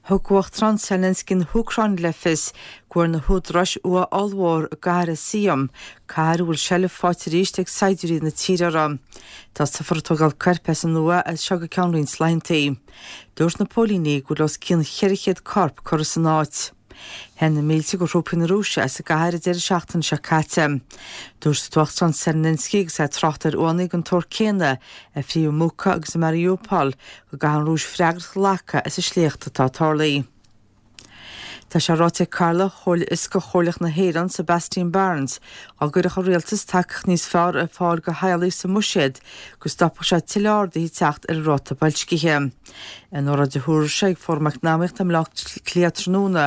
Thug Uachtarán Zelensky na hÚcráine le fios go bhfuair na húdaráis ua ollmhór i gcathair Izium, cathair a bhfuil seilbh faighte arís ag saighdiúirí na tíre uirthi. Tosófar ag tógáil coirp as an ua as seo go ceann roinnt laethanta. Dúirt na póilíní go bhfuil os cionn 400 corp curtha san áit. Theith na mílte de thrúpaí na Rúise as an gcathair an deireadh seachtaine seo caite. Dúirt an tUachtarán Zelensky agus é ag trácht ar uaigheanna den tsórt céanna a frítheadh i mBucha agus i Mariupol go gcaithfidh an Rúis freagracht a ghlacadh as an sléacht atá tarlaithe. Tá sé ráite ag Cathaoirleach Chomhairle Fhioscach Chomhairleach na hÉireann, Sebastian Barnes, dá gcuirfeadh an Rialtas tacaíocht níos fearr ar fáil do theaghlaigh sa mbuiséad go stopfadh sé tuilleadh arduithe teacht ar an ráta boilscithe. In óráid a thabharfaidh sé ag Fóram Eacnamaíochta i mBaile Átha Cliath tráthnóna,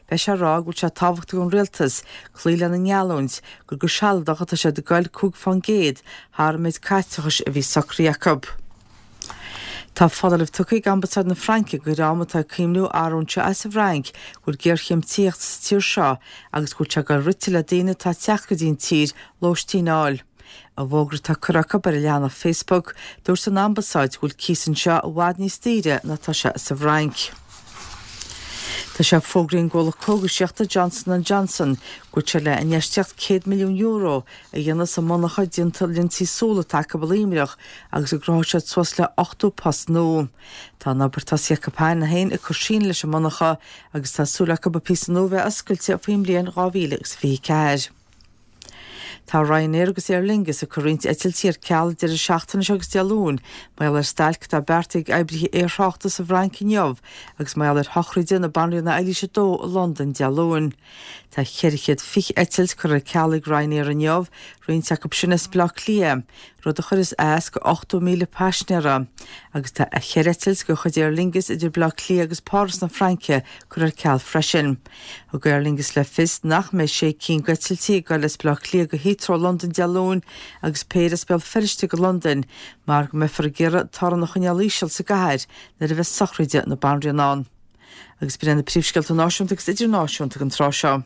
beidh sé ag rá go bhfuil sé tábhachtach don Rialtas cloí lena ngeallúint gur go sealadach atá siad ag goil 5% thar an méid caiteachais a bhí socraithe acu. Tá foláireamh tugtha ag Ambasáid na Fraince do dhream atá ag cuimhniú arraingt as an bhFrainc go bhfuil géarchéim tithíochta sa tír seo agus go bhfuil sé ag dul rite le daoine atá ag teacht go dtí an tír lóistín a fháil. I bhfógra atá curtha acu ar a leathanach Facebook, dúirt an Ambasáid go bhfuil cíos anseo i bhfad níos daoire ná atá sé sa bhFrainc. Tá sé fógraithe ag an gcomhlacht cógaisíochta Johnson and Johnson go bhfuil sé le infheistíocht €100 milliún a dhéanamh sa monarcha déanta lionsaí súl atá acu i Luimneach agus go gcruthóidh siad suas le 80 post nua. Tá an obair tosaithe acu cheana féin ag cur síneadh leis an monarcha agus tá súil acu an píosa nua a bheith oscailte faoin mbliain 2024. Tá Ryanair agus Aer Lingus ag cur roinnt eitiltí ar ceal an deireadh seachtaine seo agus Dé Luain mar gheall ar stailc atá beartaithe ag oibrithe aerthráchta sa bhFrainc inniu agus mar gheall ar shochraide na Banríona Eilís 2 i Londain Dé Luain. Tá 420 eitilt curtha ar ceal ag Ryanair inniu, roinnt acu sin as Baile Átha Cliath, rud a chuirfeas as go 80,000 paisinéara, agus tá cheithre eitilt de chuid Aer Lingus idir Baile Átha Cliath agus Páras na Fraince curtha ar ceal freisin. Thug Aer Lingus le fios nach mbeidh sé cinn d'eitiltí ag dul as Baile Átha Cliath go Heathrow Londain Dé Luain agus péire as Béal Feirste go Londain mar go mbeifear ag iarraidh torann a choinneáil íseal sa gcathair nuair a bheas sochraide na Banríona ann. Agus b'in iad na príomhscéalta náisiúnta agus idirnáisiúnta don tráth seo.